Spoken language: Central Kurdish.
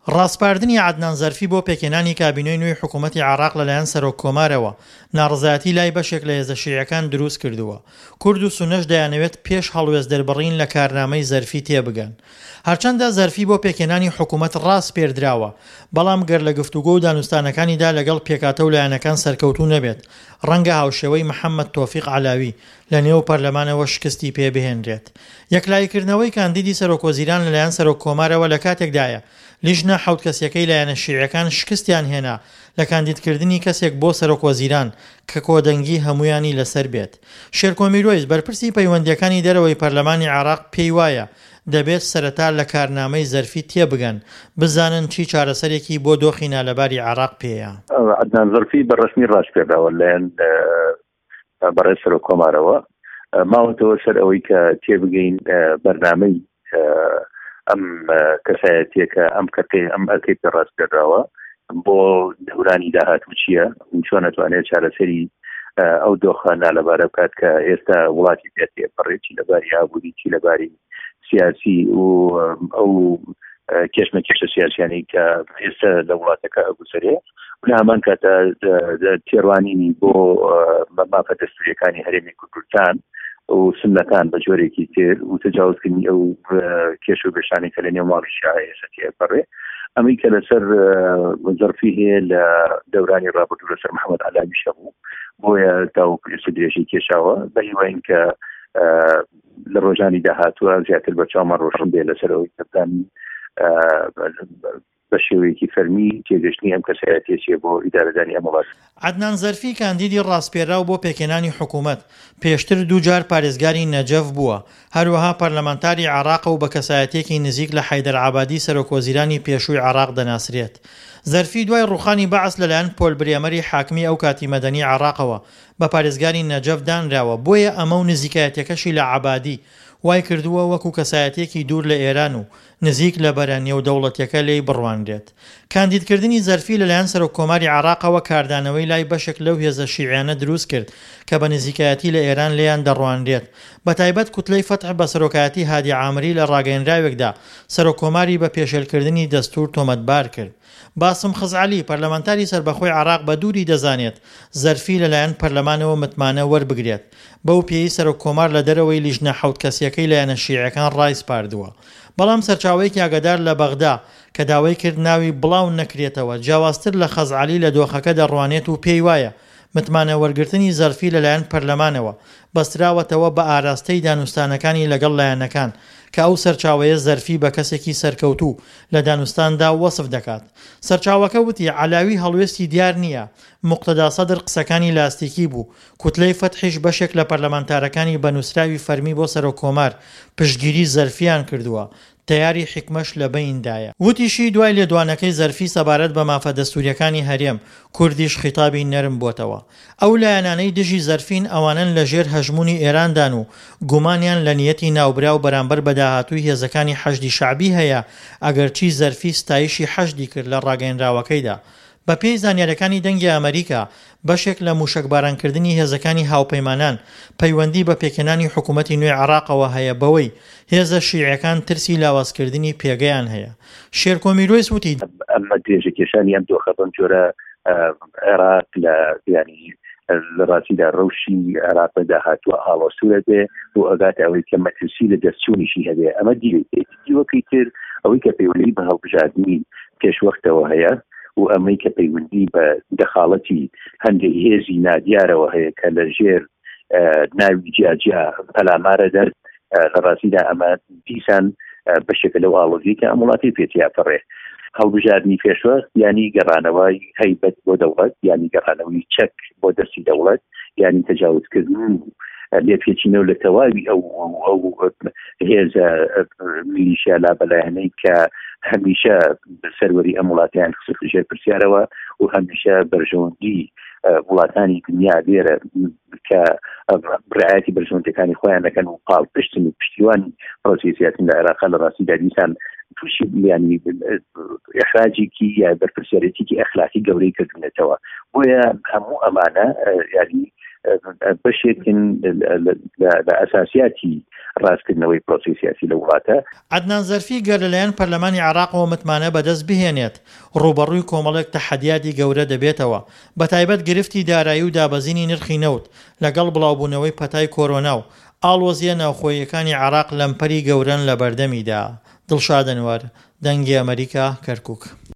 ڕاسپاردنی عەدنان زەرفی بۆ پێکهێنانی کابینەی نوێی حکوومەتی عێراق لەلایەن سەرۆک کۆمارەوە، ناڕەزایەتی لای بەشێک لە هێزە شیعیەکان دروست کردووە. کورد و سوننەش دەیانەوێت پێش هەڵوێست دەربڕین لە کارنامەی زەرفی تێبگەن. هەرچەندە زەرفی بۆ پێکهێنانی حکوومەت ڕاسپێردراوە، بەڵام گەر لە گفتوگۆ و دانوستانەکانیدا لەگەڵ پێکهاتە و لایەنەکان سەرکەوتوو نەبێت، ڕەنگە هاوشێوەی محەممەد تۆفیق عەلاوی لە نێو پەرلەمانەوە شکستی پێ بهێنرێت. یەکلاییکردنەوەی کاندیدی سەرۆکوەزیران لەلایەن سەرۆککۆمارەوە لە کاتێکدایە، لیژنە حەوت کەسییەکەی لایەنە شیعیەکان شکستیان هێنا لە کاندیدکردنی کەسێک بۆ سەرۆکوەزیران کە کۆدەنگی هەموویانی لەسەر بێت. شێرکۆ میرۆیس، بەرپرسی پەیوەندییەکانی دەرەوەی پەرلەمانی عێراق پێی وایە، دەبێت سەرەتا لە کارنامەی زەرفی تێبگەن، بزانن چی چارەسەرێکی بۆ دۆخی نالەباری عێراق پێیە. عەدنان زەرفی بە ڕەسمی ڕاسپێردراوە لەلایەن بەڕێز سەرۆک کۆمارەوە ماوەتەوە سەر ئەوەی کە تێبگەین بەرنامەی ئەم کەسایەتیەکە ئەم کەکەی ئەم ئەرکەی پێ ڕاستپێراوە بۆ دەورانی داهاتوو چییە چۆن ئەتوانێت چارەسەری ئەو دۆخە نالەبارە بکات کە ئێستا وڵاتی پێ تێپەڕێت چی لەباری ئابووری چی لەباری سیاسی و ئەو کێشمە کێشە سیاسیانی کە ئێستا لە وڵاتەکە ئەگوزەرێ لە هەمان کاتە تێڕوانینی بۆ مافە دەستوریەکانی هەرێمی کوردستان و سنەکان بە جۆرێکی تر و تەجاوزکردنی ئەو کێش و بێشانی کە لە نێو ماڵی شیعە ئێستا تێپەڕێ ئەمەی کە لەسەر زەرفی هەیە لە دەورانی ڕابردوو لەسەر محەممەد عەلاویش هەبوو بۆیە تاوەکو ئێستا درێژەی کێشاوە بە هیواین کە لە ڕۆژانی داهاتووە زیاتر بە چاومان ڕۆشن بێ لەسەر ئەوەی کە بزانین بە شێوەیەکی فەرمی تێگەشتنی ئەم کەسایەتیە چیە بۆ ئیدارەدانی ئەم وڵاتە. عەدنان زەرفی کاندیدی ڕاسپێراو بۆ پێکهێنانی حکوومەت، پێشتر دووجار پارێزگاری نەجەف بووە، هەروەها پەرلەمانتاری عێراقە و بە کەسایەتییەکی نزیک لە حەیدەر عەبادی سەرۆکوەزیرانی پێشووی عێراق دەناسرێت. زەرفی دوای ڕووخانی بەعس لەلایەن پۆل برێمەری حاکمی ئەوکاتی مەدەنی عێراقەوە بە پارێزگاری نەجەف دانراوە، بۆیە ئەمە و نزیکایەتیەکەشی لە عەبادی وای کردووە وەکو کەسایەتیەکی دوور لە ئێران و نزیک لە بەرە نێودەوڵەتیەکە لێی بڕوانرێت. کاندیدکردنی زەرفی لەلایەن سەرۆککۆماری عێراقەوە کاردانەوەی لای بەشێک لەو هێزە شیعیانە دروست کرد کە بە نزیکایەتی لە ئێران لێیان دەڕوانرێت بەتایبەت کوتلەی فەتح بە سەرۆکایەتی هادی عامری لە ڕاگەیەنراوێکدا سەرۆککۆماری بە پێشێلکردنی دەستوور تۆمەتبار کرد. باسم خزعەلی، پەرلەمانتاری سەربەخۆی عێراق بە دووری دەزانێت زەرفی لەلایەن پەرلەمانەوە متمانە وەربگرێت، بەو پێیەی سەرۆککۆمار لە دەرەوەی لیژنە حەوت کەسییەکەی لایەنە شیعیەکان ڕایسپاردووە. بەڵام سەرچاوەیەکی ئاگادار لە بەغدا کە داوای کرد ناوی بڵاو نەکرێتەوە، جیاوازتر لە خەزعەلی لە دۆخەکە دەڕوانێت و پێی وایە متمانە وەرگرتنی زەرفی لەلایەن پەرلەمانەوە بەستراوەتەوە بە ئاراستەی دانوستانەکانی لەگەڵ لایەنەکان کە ئەو سەرچاوەیە زەرفی بە کەسێکی سەرکەوتوو لە دانوستاندا وەسف دەکات. سەرچاوەکە وتی، عەلاوی هەڵوێستی دیار نییە، موقتەدا سەدر قسەکانی لاستیکی بوو، کوتلەی فەتحیش بەشێک لە پەرلەمانتارەکانی بە نووسراوی فەرمی بۆ سەرۆککۆمار پشتگیری زەرفیان کردووە، تەیاری حیکمەش لە بەیندایە. وتیشی، دوای لێدوانەکەی زەرفی سەبارەت بە مافە دەستوورییەکانی هەرێم، کوردیش خیتابی نەرم بۆتەوە. ئەو لایەنانەی دژی زەرفین ئەوانەن لە ژێر هەژموونی ئێراندان و گومانیان لە نیەتی ناوبراو بەرامبەر بە داهاتووی هێزەکانی حەشدی شەعبی هەیە، ئەگەرچی زەرفی ستایشی حەشدی کرد لە ڕاگەیەنراوەکەیدا. بە پێی زانیاریەکانی دەنگی ئەمەریکا، بەشێک لە موشەکبارانکردنی هێزەکانی هاوپەیمانان پەیوەندی بە پێکهێنانی حکومەتی نوێی عێراقەوە هەیە بەوەی هێزە شیعیەکان ترسی لاوازکردنی پێگەیان هەیە. شێرکۆ میرۆیس وتی. ئەمە درێژەکێشانی ئەم دۆخە بەم جۆرە عێراق لە ینی لە ڕاستیدا ڕەوشی عێراق لە داهاتووە ئاڵۆزتر ئەبێ و ئەگاتە ئەوەی کە مەترسی لە دەستچوونیشی هەبێ ئەمە دیوێکی دیوەکەی تر ئەوەی کە پەیوەندی بە هەڵبژاردنی پێشوەختەوە هەیە و ئەمەی کە پەیوەندی بە دەخاڵەتی هەندێک هێزی نادیارەوە هەیە کە لە ژێر ناوی جیاجیا پەلامارە دەر لە ڕاستیدا ئەمە دیسان بەشێکە لەو ئاڵۆزیەی کە ئەم وڵاتی پێ تیاپەڕێ. هەڵبژاردنی پێشوەخت یانی گەڕانەوەی هەیبەت بۆ دەوڵەت، یانی گەڕانەوەی چەک بۆ دەستی دەوڵەت، یانی تەجاوزکردن و لێپێچینەوە لە تەواوی ئەو ئەو هێزە میلیشیا لابەلایانەی کە هەمیشە سەروەری ئەم وڵاتیان خستە ژێر پرسیارەوە و هەمیشە بەرژەوەندی وڵاتانی دنیا لێرە کە ڕعایەتی بەرژەوەندیەکانی خۆیان دەکەن و پاڵپشتن و پشتیوانی پرۆسەی سیاسین لە عێراق لە ڕاستیدا دیسان تووشی ینی ئەحراجێکی یا بەرپرسیارێتێکی ئەخلاقی گەورەی کردونێتەوە بۆیە هەموو ئەمانە ینی بەشێکن لە ئەساسیاتی ڕاستکردنەوەی پرۆسەی سیاسی لە وڵاتە. عەدنان زەرفی گەر لەلایەن پەرلەمانی عێراقەوە متمانە بەدەست بهێنێت، ڕووبەڕووی کۆمەڵێک تەحەدیاتی گەورە دەبێتەوە، بەتایبەت گرفتی دارایی و دابەزینی نرخی نەوت، لەگەڵ بڵاوبوونەوەی پەتای کۆرۆنا و ئاڵۆزییە ناوخۆییەکانی عێراق لەمپەری گەورەن لەبەردەمیدا. دڵشاد ئەنوەر، دەنگی ئەمەریکا، کەرکوک.